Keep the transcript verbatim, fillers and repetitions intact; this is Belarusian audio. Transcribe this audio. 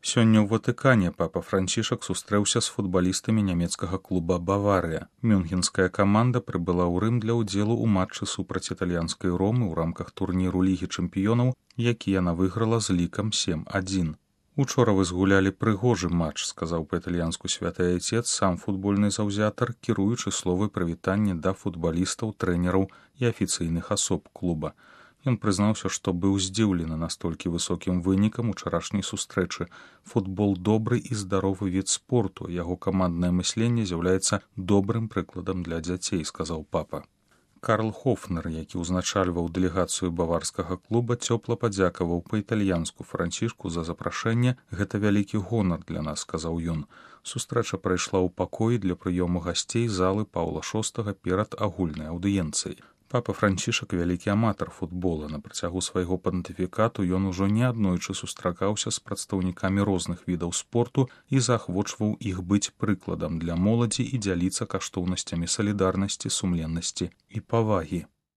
Сёння ў Ватыкане папа Францішак сустрэўся з футбалістамі нямецкага клуба «Баварыя». Мюнхенская каманда прыбыла ў Рым для ўдзелу ў матчы супраць італьянскай Ромы ў рамках турніру Лігі чэмпіёнаў, які яна выйграла з лікам сем адзін. «Учора вы згулялі прыгожы матч», — сказаў па-італьянску святы айцец, сам футбольны заўзятар, кіруючы словы прывітання да футбалістаў, трэнераў і афіцыйных асоб клуба. Ён прызнаўся, што быў здзіўлены настолькі высокім вынікам учарашняй сустрэчы. Футбол добры і здаровы від спорту, яго каманднае мысленне з'яўляецца добрым прыкладам для дзяцей, сказаў папа. Карл Хофнер, які ўзначальваў дэлегацыю баварскага клуба, цёпла падзякаваў па-італьянску Францішку за запрашэнне. «Гэта вялікі гонар для нас», — сказаў ён. Сустрэча прайшла ў пакоі для прыёму гасцей залы Паўла шостага перад агульнай аўдыенцыяй. Папа Францішак вялікі аматар футбола. На працягу свайго пантыфікату ён ужо неаднойчы сустракаўся з прадстаўнікамі розных відаў спорту і заахвочваў іх быць прыкладам для моладзі і дзяліцца каштоўнасцямі салідарнасці, сумленнасці і павагі.